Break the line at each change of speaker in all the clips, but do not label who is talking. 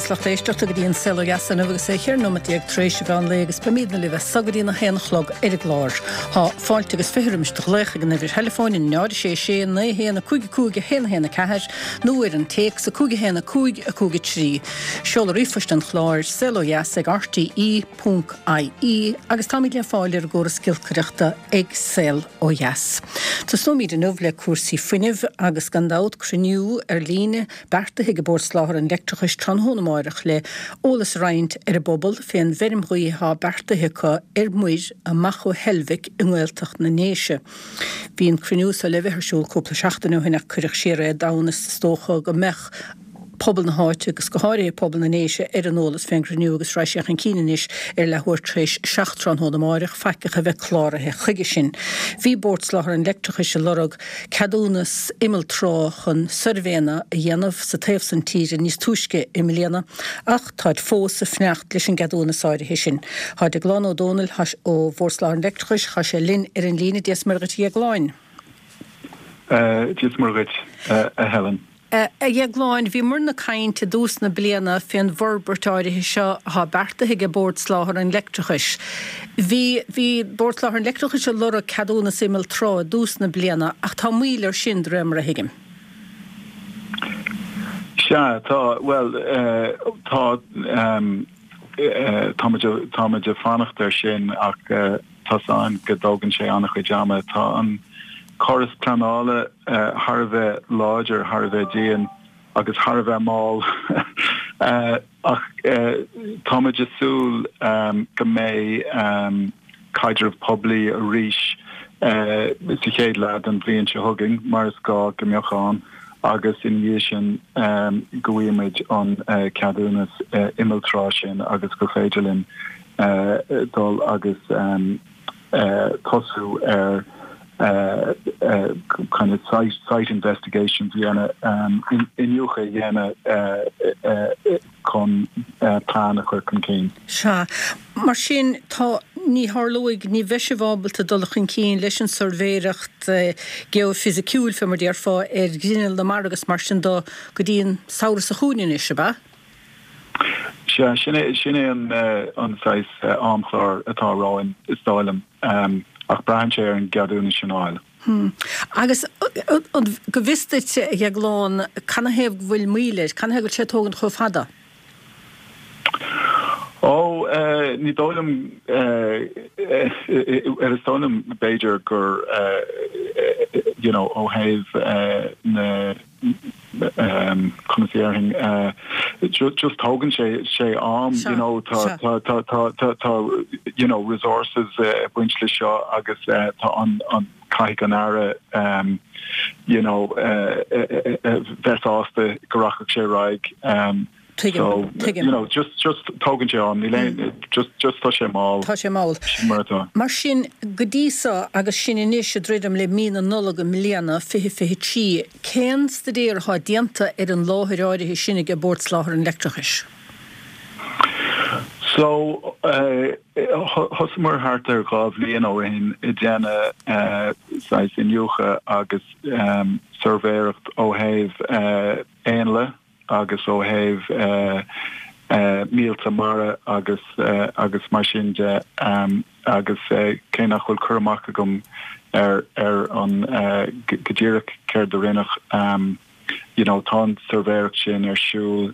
dheas lucht éisteachta go dtí an Saol Ó Dheas inniu agus é 14 nóimeat tar éis an mheán lae agus beimídne libh as so go dtí an 1 a chlog ar an gclár. Tá fáilte agus 20 roimis do ghlaoch ag an uimhir theileafóin 0 6 6 9 1 5 5 1 1 4 nó ar an téacs 5 1 5 5 3. Seoladh ríomhphoist an chláir, saolodheas ag rte ponc ie agus táimid le fáil ar an gcóras giolcaireachta ag Saol Ó Dheas. Tosnóimid inniu le cúrsaí fuinnimh agus gan dabht cruinniú ar líne beartaithe ag Bord Soláthair an Leictreachais tráthnóna amáireach le eolas a roinnt ar an bpobal fén bhfeirm ghaoithe atá beartaithe acu ar muir amach ó Heilbhic i nGaeltacht na nDéise. Bhí an cruinniú so le bheith ar siúl cúpla seachtain ó shin ach cuireadh siar é d'fhonn is is dócha go mbeadh pobal na háite agus go háirithe pobal na nDéise ar an eolas fén gcruinniú agus raghaidh sé chun cinn anois ar leathuair tar éis 7 tráthnóna amáireach, faiceach a bheith cláraithe chuige sin. Bhí Bord Soláthair an Leictreachais ag lorg ceadúnas imeall trá chun suirbhéanna a dhéanamh sa taobh san tíre níos túisce i mbliana ach táid fós ag fanacht leis an gceadúnas áirithe sin. Tá Deaglán Ó Dónaill ó Bhord Soláthair an Leictreachais, tá sé linn ar an líne. Dia is Muire dhuit a Dheagláin.
Dia is Muire dhuit, a Helen.
A Dheagláin, bhíomarna ag caint i dtús na bliana fén bhforbairt áirithe seo atá beartaithe ag Bord Soláthair an Leictreachais. Bhí, bhí Bord Soláthair an Leictreachais ag lorg ceadúnas imeall trá i dtús na bliana ach tá moill air sin de réir mar a thuigim.
Sea, tá, bhuel, tá, táimid, táimid ag fanacht air sin ach tá's a'inn go dtógann sé an-chuid ama. Tá an córas pleanála thar a bheith láidir, thar a bheith dian agus thar a bheith mall ach táimid ag súil go mbeidh caidreamh poiblí arís sa chéad leath den bhliain seo chugainn, mar is gá go mbeadh ann, agus ina dhiaidh sin go bhfaighimid an ceadúnas imeall trá sin agus gur féidir linn dul agus tosú ar kind of site site investigations a dhéanamh, iniúchadh a dhéanamh chun plean a chur chun cinn.
Sea. Mar sin, tá, ní tharlóidh, ní bheidh sibh ábalta dul chun cinn leis an suirbhéireacht geoifisiciúil, fé mar déarfá, ar ghrinneall na mara agus mar sin do go dtí an samhradh seo chugainn anois, ab ea?
Sea, sin é, sin é an, an saghas amchlár atá romhainn, is dóigh liom, ach braitheann sé ar an gceadúnas sin a fháil.
Hmm. Agus go bhfios duit, a Dheagláin, canathaobh go bhfuil moill air? Canathaobh go bhfuil sé ag tógaint chomh fada?
Ó, ní dóigh liom, is dóigh liom b'fhéidir gur, you know, ó thaobh na, conas a déarfainn, just tógann sé sé am, you know, tá tá tá tá tá tá you know resources ag baint le seo agus tá an an caithfidh an Aire you know bheith sásta go rachadh sé ar aghaidh.
Tuigim,
So,
tuigim.
you know, just, just tógann sé am, níl aon, just, just tá sé mall.
Tá sé mall.
Sin mar atá.
Mar sin, go dtí so, agus sinn anois ag druidim le mí na Nollag i mbliana, 2023, cén staidéar atá déanta ar an láthair áirithe sin ag Bord Soláthair an Leictreachais?
So, eh, thosaíomar thart ar 2 bhliain ó shin ag déanamh eh, saghas iniúchadh agus em, suirbhéireacht ó thaobh eh, éanlaith, agus ó thaobh míolta mara agus agus mar sin de agus cé nach bhfuil cur amach agam ar ar an go díreach céard a rinneadh you know tá an suirbhéireacht sin ar siúl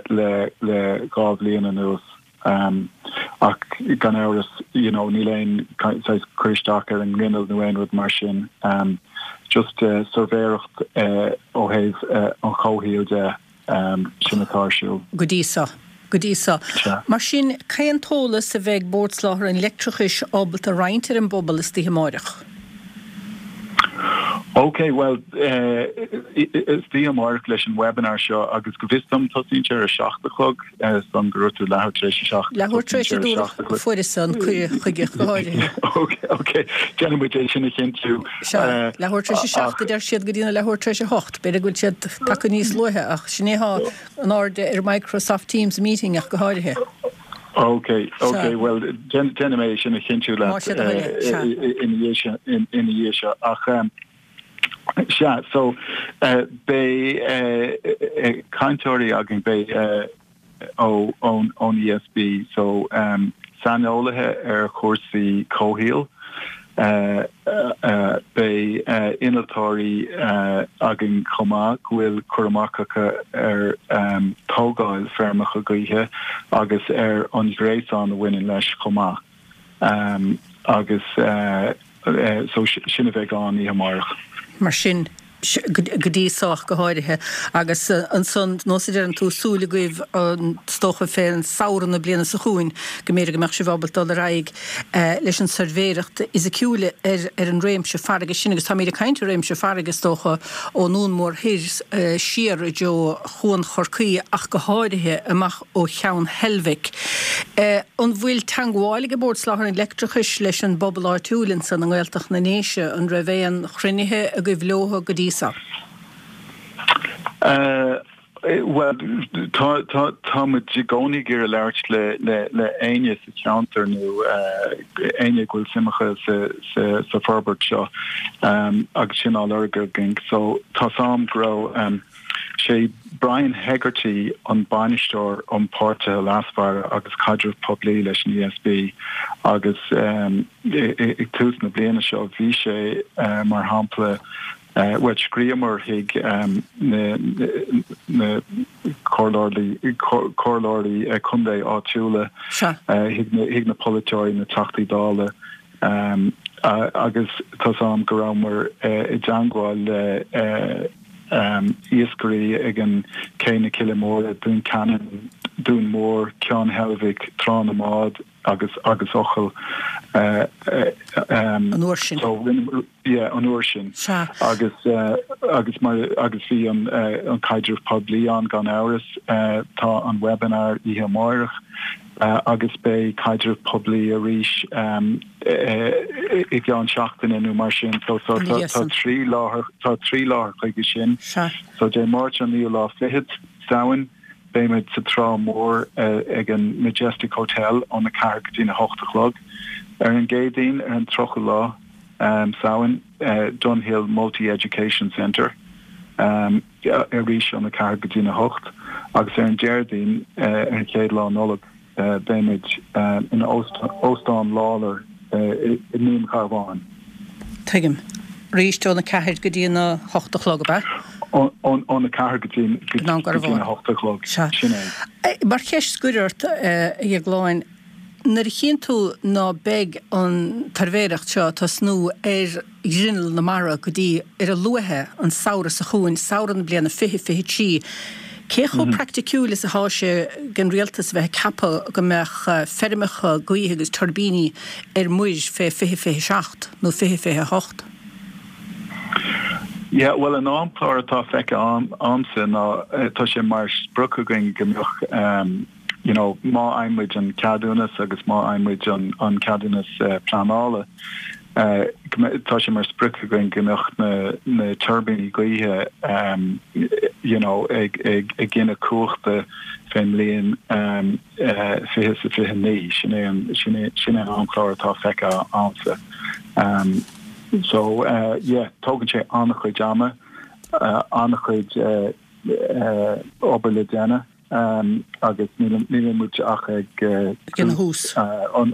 le le 2 bhliain anuas ach gan amhras you know níl aon saghas cur isteach ar an ngrinneall nó aon rud mar sin just suirbhéireacht ó thaobh an chomhshaoil de sin atá ar siúl.
Go dtí so. Go dtí so.
Sea.
Mar sin, cén t-eolas a bheidh Bord Soláthair an Leictreachais ábalta a roinnt ar an bpobal istoíche amáireach?
Ok, bhuel, istoíche amáireach leis an webinar seo agus go bhfios dom tosaíonn sé ar a 7 a chlog, is dom go raibh tú leathuair tar éis a 7,
Leathuair tar éis a dúradh, fuaireas an cuireadh chuige go háirithe.
Ok, ok, déanfaidh muid é sin a chinntiú.
Sea, leathuair tar éis a 7 a deir siad go dtí na leathuair tar éis a 8, b'fhéidir go bhfuil siad tagtha níos luaithe ach sin é atá in airde ar Microsoft Teams meeting ach go háirithe.
Ok, ok, bhuel, déanfaidh mé é sin a chinntiú leat ina dhiaidh seo. Ach, sea, so, beidh cainteoirí againn, beidh. ó ón ESB so saineolaithe ar chúrsaí comhshaoil. Beidh innealtóirí againn chomh maith go bhfuil cur amach acu ar tógáil feirmeacha gaoithe agus ar an ghréasán a bhaineann leis chomh maith. Agus so sin a bheidh ann oíche amárach.
Mar sin, go dtí so ach go háirithe. Agus ansan, nós a deireann tú, súil agaibh is dócha fén samhradh na bliana seo chugainn go mb'fhéidir go mbeadh sibh ábalta dul ar aghaidh leis an suirbhéireacht fhisiciúil ar ar an réimse farraige sin. Agus táimid ag caint ar réimse farraige is dócha ón nDún Mór Thoir siar i dtreo Chuan Chorcaí ach go háirithe amach ó Cheann Heilbhic. An bhfuil teangmháil ag Bord Soláthair an Leictreachais leis an bpobal áitiúil ansan i nGaeltacht na nDéise? An raibh aon chruinnithe agaibh leotha go dtí so?
Bhuel, tá, tá, tá muid i gcónaí ag iarraidh labhairt le, le, le éinne sa cheantar nó éinne go bhfuil suim acu sa, sa, sa forbairt seo agus sin á lorg againn. So tá's a'm go raibh. Sé Brian Hegarty an Bainisteoir um Páirtithe Leasmhara agus Caidreamh Poiblí leis an ESB agus ag tús na bliana seo bhí sé mar shampla bhuel scríobhamar chuig na comhairleoirí contae áitiúla, chuig na polaiteoirí, na Teachtaí Dála agus tá's a'm go rabhamar i dteangmháil le iascairí ag an Cé na Cille Móire, Dún Ceanainn, Dún Mór, Ceann Heilbhic, Trá na mBád agus agus Eochaill.
An uair sin.
So rinne, yeah, an uair sin.
Sea.
Agus agus mar agus bhí an an caidreamh poiblí ann gan amhras. Tá an webinar oíche amáireach. agus beidh caidreamh poiblí arís i gceann seachtaine nó mar sin. So tá 3 láthair tá 3 láthair chuige sin. So Dé Máirt an naoú lá fichead, Samhain, beimid sa Trá Mhór ag an Majestic Hotel óna 4 go dtína 8 a chlog. Ar an gCéadaoin ar an 30ú lá Samhain, Dunhill Multi Education Centre. arís óna 4 go dtína 8 agus ar an Déardaoin ar an chéad lá Nollag beimid in Óstán Lawlor i nDún Garbhán.
Tuigim. Arís óna 4 go dtí a 8 a chlog, ab ea?
Óna 4 go dtí a 8 a chlog, sin
é. Mar cheist scoir ort, a Dhéagláin, nuair a chíonn tú ná beidh an tsuirbhéireacht seo ag tosnú ar ghrinneall na mara go dtí, ar a luaithe, an samhradh seo chugainn, samhradh na bliana 2023. Cé chomh praiticiúil is atá sé don rialtas a bheith ag ceapadh go mbeadh feirmeacha gaoithe agus tuirbíní ar muir fé 2027 nó 2028?
Yeah, bhuel an amchlár atá feicthe a'msa ná tá sé mar sprioc againn go mbeadh you know má fhaigheann muid an ceadúnas agus má fhaigheann muid an ceadúnas pleanála, tá sé mar sprioc againn go mbeadh na na tuirbíní gaoithe you know ag ag ag gineadh cumhachta fén mbliain 2029. Sin é an sin é sin é an amchlár atá feicthe a'msa. So yeah, tógann sé an-chuid ama, an-chuid obair le déanamh. agus níl muid ach ag
tús
an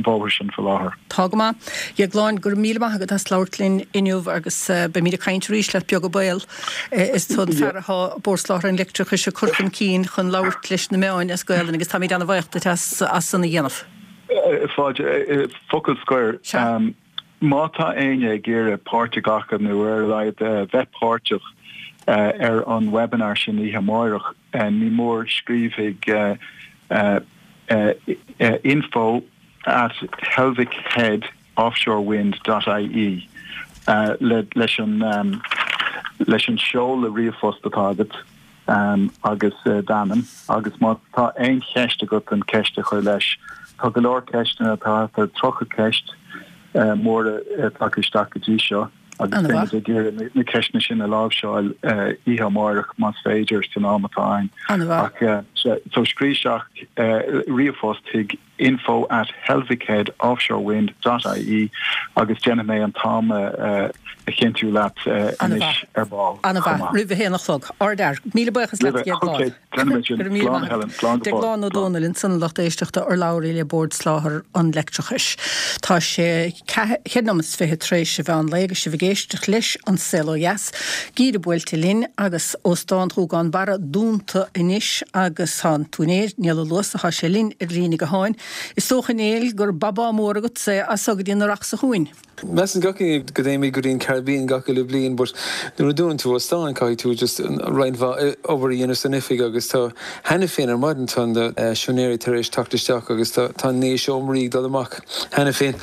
bhóthair sin faoi láthair.
Tá go maith. A Dhéagláin, go raibh míle maith agat as labhairt linn inniu agus beimid ag caint arís leat beag an baol. Is tú an fear atá Bord Soláthair an Leictreachais ag cur chun cinn chun labhairt leis na meáin as Gaelainn agus táimid ana-bhaoch duit as san a dhéanamh.
Fáilte. Focal scoir. Má tá éinne ag iarraidh páirt a ghlacadh nó ar a laghad bheith páirteach ar an webinar sin oíche amáireach, ní mór scríobh chuig info at helvickhead offshorewind dot ie leis an leis an seoladh ríomhphost atá agat. agus d'ainm agus má tá aon cheist agat an ceist a chur leis. Tá go leor ceisteanna, tá thart ar 30 ceist móra tagtha isteach go dtí seo agus beimid ag iarraidh na ceisteanna sin a láimhseáil oíche amáireach más féidir san am atá againn. Ach So scríobh isteach ríomhphost chuig info at helvickhead offshorewind dot ie agus déanfaidh mé an t-am a chinntiú leat anois ar ball
chomh maith. Roimh a haon a chlog. Ardfhear. Míle buíochas leat, a Dhéagláin.
Déanfaidh mé sin. Slán a Helen. Slán go fóill.
Déaglán Ó Dónaill ansan a lucht éisteachta, urlabhraí le Bord Soláthair an Leictreachais. Tá sé 4 nóiméad is 20 tar éis an mheán lae agus sibh ag éisteacht leis An Saol Ó Dheas. Geimhreadh buailte linn agus Óstán Ghúgán Barra dúnta anois agus tá an t-úinéir, Niall Ó Luasa, tá sé linn ar líne gutháin. Is dócha, a Néill, gur babá mór agatsa é as so go dtí an earrach seo chugainn.
Measann gach éinne go dtéimid go dtí an Caribbean gach uile bliain but nuair a dúnann tú óstán caithfidh tú just roinnt mhaith obair a dhéanamh san oifig agus tá cheana féin ar maidin tá na siúinéirí tar éis teacht isteach agus tá tá 9 seomraí ag dul amach cheana féin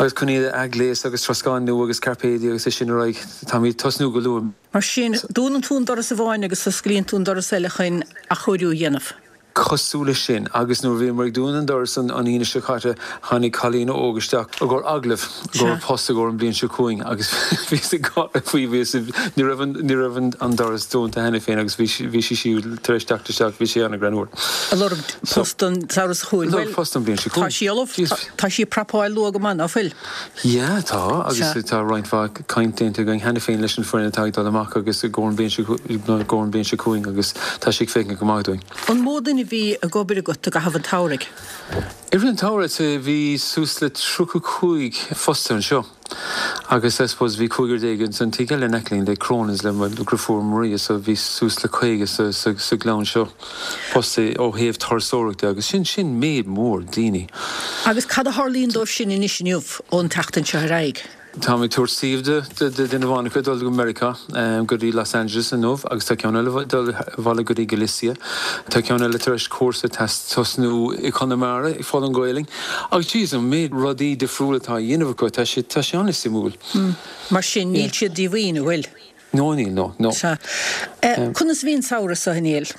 agus chun iad a athghléasadh agus troscán nua agus cairpéidí agus é sin ar aghaidh. Táimid ag tosnú go luath.
Mar sin, dúnann tú an doras amháin agus osclaíonn tú an doras eile chun athchóiriú a dhéanamh.
Cosúil leis sin. Agus nuair a bhíomar ag dúnadh an doras an Aoine seo caite, tháinig cailín óg isteach i gcomhair agallaimh, i gcomhair post i gcomhair an bhliain seo chugainn agus bhíos ag gáire faoi, bhíos, ní raibh an, ní raibh an doras dúnta cheana féin agus bhí, bhí sí siúd tar éis teacht isteach, bhí sé an-ghreannmhar.
Ag lorg post don samhradh seo chugainn.
Ag lorg post don bhliain seo
chugainn. Tá sí ullamh, tá sí ag prapáil luath go maith, ná fuil?
Yeah, tá, agus tá roinnt mhaith caint déanta againn cheana féin leis an foireann atá ag dul amach agus i gcomhair an bhliain seo, i gcomhair an bhliain seo chugainn agus tá sé ag féachaint go maith dúinn.
An mó duine a bhí ag obair agat i gcaitheamh an tsamhraidh?
I rith an tsamhraidh bhí suas le 35 fostaithe anseo agus I suppose bhí cúigear déag ins an tigh eile in aice linn le Cronin's le mo dheirfiúr Maria so bhí suas le 50 sa, sa, sa ghleann seo fostaithe ó thaobh turasóireachta agus sin, sin méid mór daoine.
Agus cad a tharlaíonn dóibh sin anois inniu ón tseachtain seo ar aghaidh?
Táim ag tabhairt suíomh do duine amháin acu ag dul go Meiriceá, go dtí Los Angeles inniu agus tá ceann eile ag dul abhaile go dtí Galicia. Tá ceann eile tar éis cúrsa tosnú i Conamara ag foghlaim Gaelainn. Agus jeez, an méid rudaí difriúla atá á dhéanamh acu, tá sé, tá sé an-suimiúil.
Mar sin, níl siad díomhaoin, an bhfuil?
No, níl, no, no.
Sea. Conas a bhí an samhradh seo, a Néill?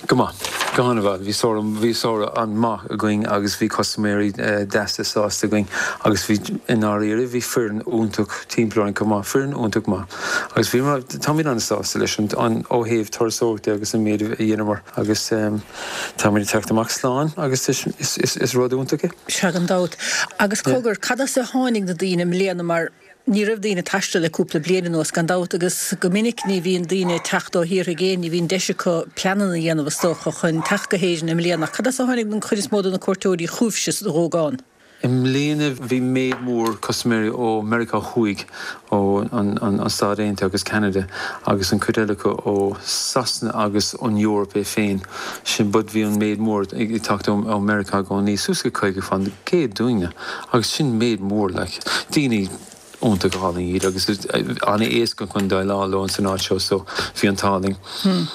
Go maith. Go han-mhaith. Bhí samhradh, bhí samhradh an-maith againn agus bhí custaiméirí deasa sásta againn agus bhí, i ndáiríre, bhí foireann iontach timpeall orainn chomh maith, foireann iontach maith. Agus bhíomar, táimid an-sásta leis an, an, ó thaobh turasóireachta agus an méid a dheineamar agus táimid ag teacht amach slán agus is, is, is, is rud iontach é.
Sea, gan dabht. Agus cogar, cad as a tháinig na daoine i mbliana mar Ní raibh daoine ag taisteal le cúpla bliain anuas, gan dabht, agus go minic ní bhíonn daoine ag teacht ó thíortha i gcéin, ní bhíonn deis acu pleananna a dhéanamh, is dócha, chun teacht go hÉirinn i mbliana. Ach cad as a tháinig an chuid is mó de na cuairteoirí chugaibhse sa Ghúgán?
I mbliana bhí méid mór custaiméirí ó Meiriceá Thuaidh, ó an Stáit Aontaithe agus Ceanada agus an chuid eile acu ó Sasana agus an Eoraip é féin. Sin but bhí an méid mór ag teacht ó Meiriceá i gcónaí, suas go 50% dúinne agus sin méid mór like. Daoine iontach álainn iad agus an-éasca chun déileáil leo san áit seo so bhí an t-ádh linn.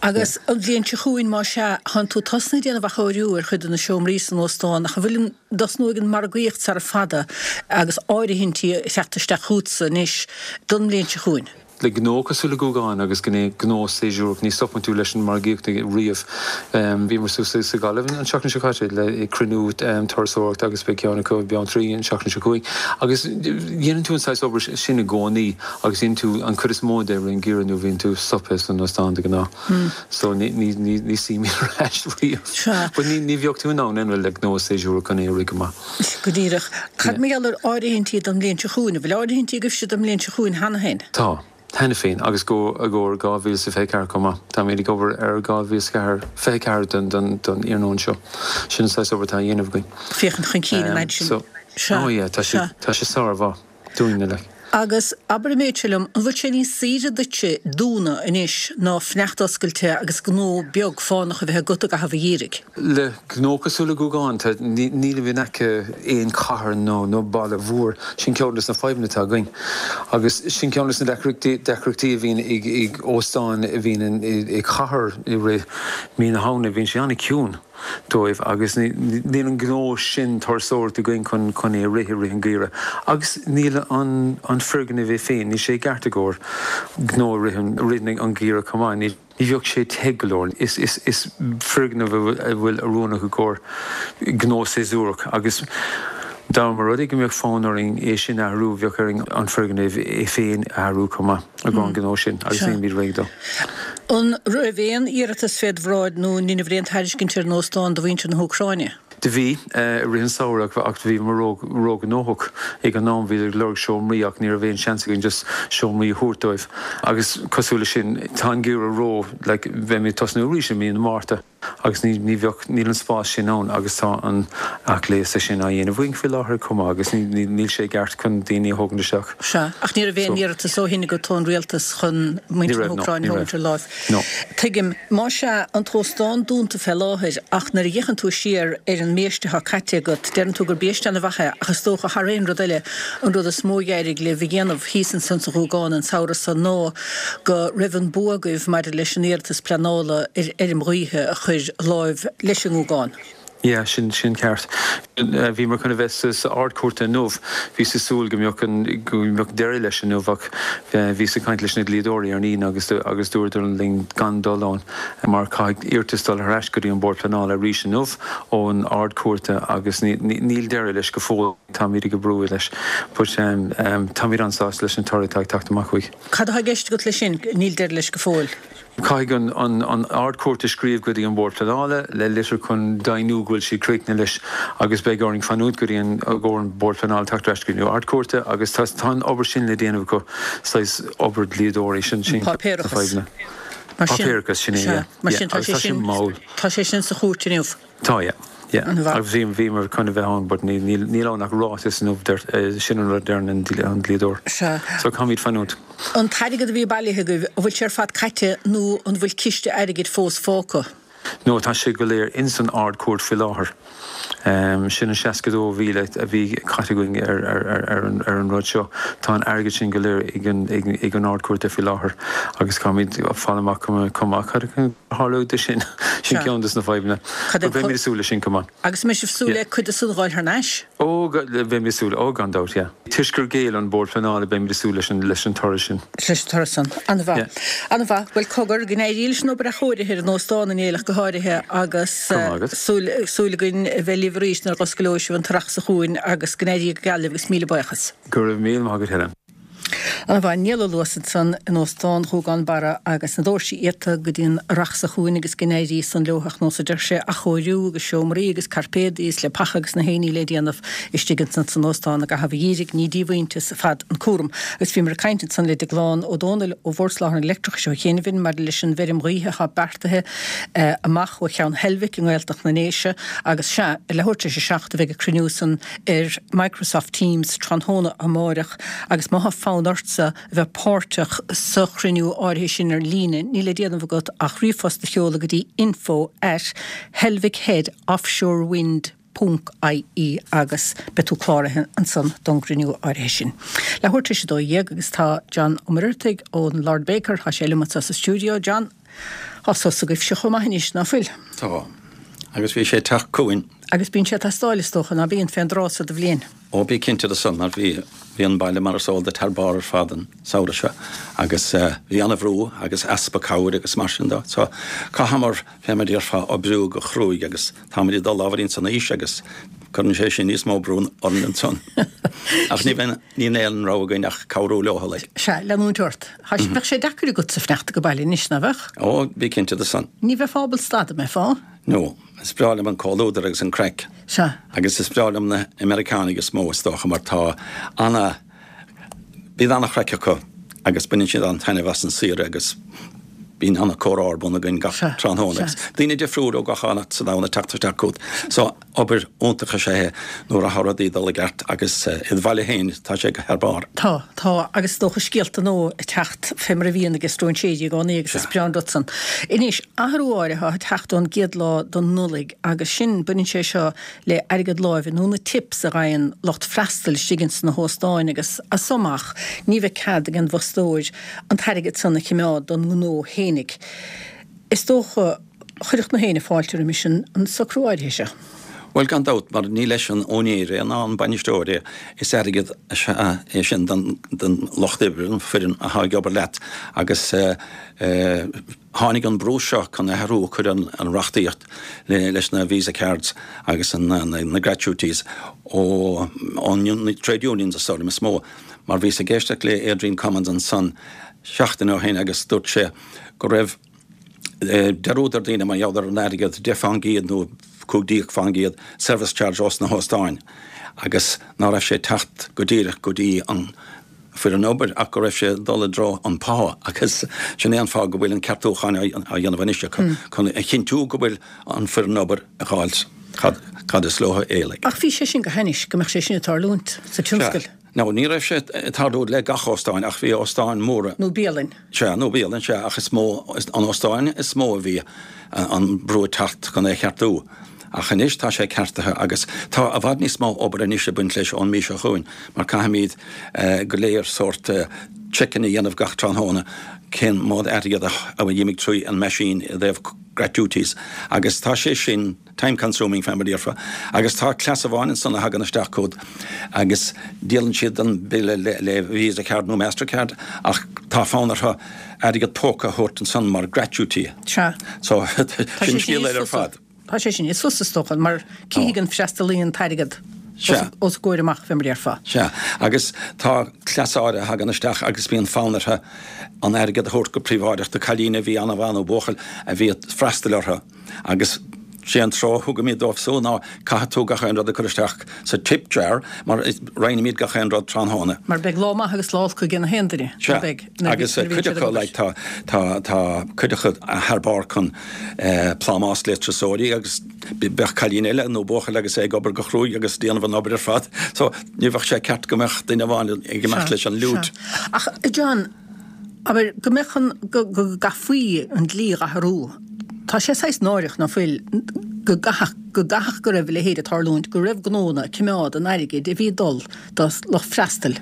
Agus an bhliain seo chugainn más ea, tánn tú tosnaithe ag déanamh athchóiriú ar chuid de na seomraí san óstán ach an bhfuil an dtosnóidh an margaíocht sara fada agus áirithintí ag teacht isteach chugatsa anois don mbliain seo chugainn?
Le gnó cosúil le Gúgán agus gnó séasúrach, ní stopann tú leis an margaíocht riamh. Bhíomar suas sa Ghaillimh an tseachtain seo caite le cruinniú turasóireachta agus beidh ceann acu i mBeanntraí an tseachtain seo chugainn. Agus dhéanann tú an saghas obair sin i gcónaí agus dhéanann tú an chuid is mó de i rith an gheimhridh nuair a bhíonn tú stoptha san óstán de ghnáth. So ní suímid ar ais riamh. But ní bheadh tú in ann anyway le gnó séasúrach chun é a rith go maith.
Go díreach. Cad mar gheall ar áirithintí don mbliain seo chugainn? An bhfuil áirithintí agaibhse don mbliain seo chugainn cheana féin?
Tá. Cheana féin, agus go i gcomhair 2024 chomh maith. Táimid ag obair ar 2024 don iarnóin seo. Sin an saghas obair atá á dhéanamh againn.
Féachaint chun cinn an fhaid sin.
Sea. Oh yeah, tá sé, tá sé sármhaith. dúinne like.
Agus abair an méid seo liom, an bhfuil sé níos saoire duitse dúnadh anois ná fanacht oscailte agus gnó beag fánach a bheith agat i gcaitheamh an gheimhridh?
Le gnó cosúil le Gúgán, tá, nílimid in aice aon chathair nó nó baile mhór. Sin ceann des na fadhbanna atá againn. Agus sin ceann des na deacrachtaí deacrachtaí a bhíonn ag ag óstáin a bhíonn i cathair i rith mí na Samhna, bíonn sé an-ciúin. dóibh agus níl an gnó sin turasóireachta againn chun chun é a rith i rith an gheimhridh agus níl an an foirgneamh é féin, níl sé i gceart i gcomhair gnó i rith an rith an gheimhridh chomh maith. Ní ní bheadh sé te go leor. Is is is foirgneamh a bhfuil a bhfuil oiriúnach i gcomhair gnó séasúrach agus dá mba rud é go mbeadh fonn orainn é sin a athrú bheadh orainn an foirgneamh é féin a athrú chomh maith i gcomhair an gnó sin agus nílimid réidh dó.
An raibh aon iarratas féd bhráid nó an ndeineabhair aon tairiscint ar an óstán do mhuintir na hÚcráine?
Do bhí, i rith an samhradh ach bhíomar ró-ghnóthach ag an am, bhíodar ag lorg seomraí ach ní raibh aon seans againn just seomraí a thabhairt dóibh agus cosúil leis sin tá an geimhreadh ró, like beimid ag tosnú arís i mí na Márta agus ní, ní bheadh, níl an spás sin ann agus tá an athghléasadh sin á dhéanamh againn faoi láthair chomh maith agus ní, ní, níl sé i gceart chun daoine a thógaint isteach.
Sea, ach ní raibh aon iarratas ó shin agat ón rialtas chun
muintir
na
hÚcráine
a thógaint ar láimh. No. Tuigim. Más ea, an t-óstán dúnta fé láthair, ach nuair a fhéachann tú siar ar an mbiaiste atá caite agat, deireann tú gur biaiste ana-mhaith é, ach is dócha, thar aon rud eile, an rud is mó a d'éirigh libh a dhéanamh thíos ansan sa Ghúgán an samhradh san ná go raibh an bua agaibh maidir leis an iarratas pleanála ar fheirm ghaoithe a chur láimh leis an nGúgán.
Yeah, sin, sin ceart. Bhíomar chun a bheith sa, sa Ard-Chúirt inniu. Bhíos ag súil go mbeadh an, go mbeadh deireadh leis inniu ach bhíos ag caint leis na dlíodóirí ar an Aoine agus, agus dúradar linn gan dul ann mar caithfidh iarratas dul thar ais go dtí an Bord Pleanála arís inniu ón Ard-Chúirt agus ní, ní, níl deireadh leis go fóill. Táimid ag oibriú leis. But táimid an-sásta leis an toradh atá ag teacht amach uaidh.
Cad atá i gceist agat leis sin, níl deireadh leis go fóill?
Caithfidh an Ard-Chúirt a scríobh go dtí an Bord Pleanála le litir chun deimhniú go bhfuil siad críochnaithe leis agus beidh orainn fanúint go dtí an go an Bord Pleanála teacht ar ais go dtí an Ard-Chúirt agus tá tá an obair sin le déanamh acu, saghas obair dlíodóirí, sin sin na
fadhbanna. Páipéarachas.
Páipéarachas, sin é, yeah.
Mar sin tá sé sin mall. Tá sé sin sa chúirt inniu.
Tá, yeah. Yeah. Agus bhí, bhíomar chun a bheith ann but ní, níl, níl ann ach ráiteas inniu, sin an rud a deireann an dlíodóir.
Sea.
So caithfimid fanúint.
An t-airgead a bhí bailithe agaibh, an bhfuil sé ar fad caite nó an bhfuil ciste airgid fós fágtha?
No, tá sé go léir ins an Ard-Chúirt faoi láthair. Sin an 62,000 a bhí caite againn ar, ar, ar, ar an, ar an rud seo. Tá an airgead sin go léir ag an, ag, ag an Ard-Chúirt faoi láthair agus caithfimid fáil amach chomh, chomh maith cad a tharlóidh de sin. Sin ceann des na fadhbanna.
Cad é
But beimid ag súil leis sin chomh maith.
Agus an mbeidh sibh súil le cuid de san a dh'fháil thar n-ais?
Ó, beimid ag súil. Ó, gan dabht, yeah. Toisc gur ghéill an Bord Pleanála, beimid ag súil leis an, leis an toradh sin.
Leis an toradh san. An-mhaith.
Yeah.
An-mhaith. Bhuel, cogar, go n-éirí leis an obair athchóirithe ar an óstán, a Néill, ach go háirithe, agus
Go raibh maith agat.
súil, súil againn a bheith libh arís nuair a dh'osclóidh sibh an t-earrach seo chugainn agus go n-éirí go geal libh agus míle buíochas.
Go raibh míle maith agat, Helen.
An-mhaith. Niall Ó Luasa ansan in Óstán Ghúgán Barra agus na doirse iata go dtí an earrach seo chugainn agus go n-éirí san leo ach nós a deir sé, athchóiriú agus seomraí agus cairpéadaí is leapacha agus na haon ní le déanamh istigh ansan san óstán i gcaitheamh an gheimhridh, ní díomhaointeas ar fad an cúram. Agus bhíomar ag caint ansan le Deaglán Ó Dónaill ó Bhord Soláthair an Leictreachais ó chianaibh maidir leis an bhfeirm ghaoithe atá beartaithe amach ó Cheann Heilbhic i nGaeltacht na nDéise agus sea, ar leathuair tar éis a 7 a bheidh an cruinniú san ar Microsoft Teams tráthnóna amáireach agus má thá fonn ortsa a bheith páirteach sa chruinniú áirithe sin ar líne, níl le déanamh agat ach ríomhphost a sheoladh go dtí info at helvickheadoffshorewind ponc ie agus beidh tú cláraithe ansan don gcruinniú áirithe sin. Leathuair tar éis 12 agus tá John Ó Muircheartaigh ón Lord Baker, tá sé liom anseo sa stiúideo. John, Tá sos agaibhse chomh maith anois, ná fuil?
Tá. Agus bhí sé ag teacht chugainn.
Agus bíonn sé ag teastáil, is dócha, ná bíonn, fén dtráth so de bhliain?
Ó, bí cinnte de san, mar bhí, bhí an baile mar is eol duit thar barr ar fad an samhradh seo agus bhí ana-bhrú agus easpa cabhair agus mar sin de. So, chaitheamar, fé mar a déarfá, oibriú go cruaidh agus táimid ag dul ábhairín san aois agus cuireann sé sin níos mó brú orainn ansan. Ach ní bheidh, níl aon rogha againn ach cabhrú leo, like.
Sea, leanúint ort. Bheadh sé deacair agatsa fanacht age baile anois, ná
beadh? Ó, bí cinnte de san.
Ní bheifeá ábalta stad, an mbeifeá?
No. Is breá liom an comhluadar agus an craic.
Sea.
Agus is breá liom na Meiriceánaigh is mó, is dócha, mar tá ana, bíonn ana-chraic acu agus baineann siad an-taitneamh as an saoire agus bíonn ana-comhrá ar bun againn gach tráthnóna agus daoine difriúil ó gach áit sa domhan ag teacht isteach chugat. So, obair iontach is ea é nuair atá rudaí ag dul i gceart agus id bhaile féin tá sé thar barr.
Tá, tá, agus is dócha scéalta nua ag teacht fé mar a bhíonn ag stróinséirí i gcónaí agus is breá an rud san. Anois, athrú áirithe atá ag teacht ón gcéad lá den Nollaig agus sin, baineann sé seo le airgead láimhe nó na tips a fhaigheann lucht freastail istigh ins na hóstáin agus as so amach ní bheidh cead ag an bhfostóir an t-airgead san a chimeád don ngnó fhéinig. Is dócha, chuirfeadh na héinne fáilte roimis an socrú áirithe seo.
Bhuel, gan dabht, mar ní leis an úinéir é ná an bainisteoir é, is airgead is ea é sin don lucht oibre, don foireann atá ag obair leat agus tháinig an brú seo chun athrú a chur ar an reachtaíocht leis na Visa Cards agus na gratuities ó na trade unions is dóigh liom is mó mar bhíos ag éisteacht le Adrian Cummins ansan seachtain ó shin agus dúirt sé go raibh. Dearúd ar daoine mar gheall ar an airgead, 10% nó 15% service charge ós na hóstáin agus ná raibh sé ag teacht go díreach go dtí an foireann obair ach go raibh sé ag dul i dtreo an pá agus sin é an fáth go bhfuil an ceartúchán á dhéanamh anois acu chun a chinntiú go bhfuil an foireann obair ag fháilt cad is leo é like.
Ach bhí sé sin go hainnis go mbeadh sé sin ag tarlúint sa tionscal.
Now ní raibh sé ag tarlú le gach óstáin ach bhí óstáin móra.
Nó bialainn.
Sea, nó bialann, sea, ach is mó, an óstáin is mó a bhí an brú ag teacht chun é a cheartú. Ach anois tá sé ceartaithe agus tá i bhfad níos mó obair anois ag baint leis ón mí seo chugainn mar caithfimid go léir sórt check-in a dhéanamh gach tráthnóna cén mód airgead a d'imigh trí an meaisín i dtaobh gratuities agus tá sé sin time consuming fé mar a déarfá agus tá cleas amháin ansan a thagann isteach chugat agus díolann siad an bille le Visa card nó Mastercard ach tá fonn orthu airgead póca a thabhairt ansan mar gratuity.
Sea.
So sin scéal eile ar fad.
Tá sé sin níos fusa is dócha mar cífidh an freastalaí an t-airgead os a gcomhair amach fé mar a déarfá.
Sea. Agus tá cleas áirithe a thagann isteach agus bíonn fonn orthu an airgead a thabhairt go príobháideach do cailín a bhí an-mhaith nó buachaill a bhí ag freastal orthu. Agus sé an treoir a thugaimid dóibh so ná caithfidh tú gach aon rud a chur isteach sa tip jar mar roinnimid gach aon rud tráthnóna.
Mar beidh lá maith agus lá olc ag na haon duine,
ná beidh, nuair a bhíonn siad ag obair. Agus cuid acu like tá tá tá cuid acu thar barr chun plámás le turasóirí agus bheadh cailín eile nó buachaill agus é ag obair go chruaidh agus déanamh an obair ar fad. So ní bheadh sé ceart go mbeadh duine amháin ag imeacht leis an loot.
Ach John, Abair, go mbeadh an, go gcaithfí an dlí a athrú. Tá sé saghas náireach, ná fuil, go gcaithfeadh, go gcaithfeadh go raibh a leithéid ag tarlúint, go raibh gnónna ag coimeád an airgid a bhí ag dul do lucht freastail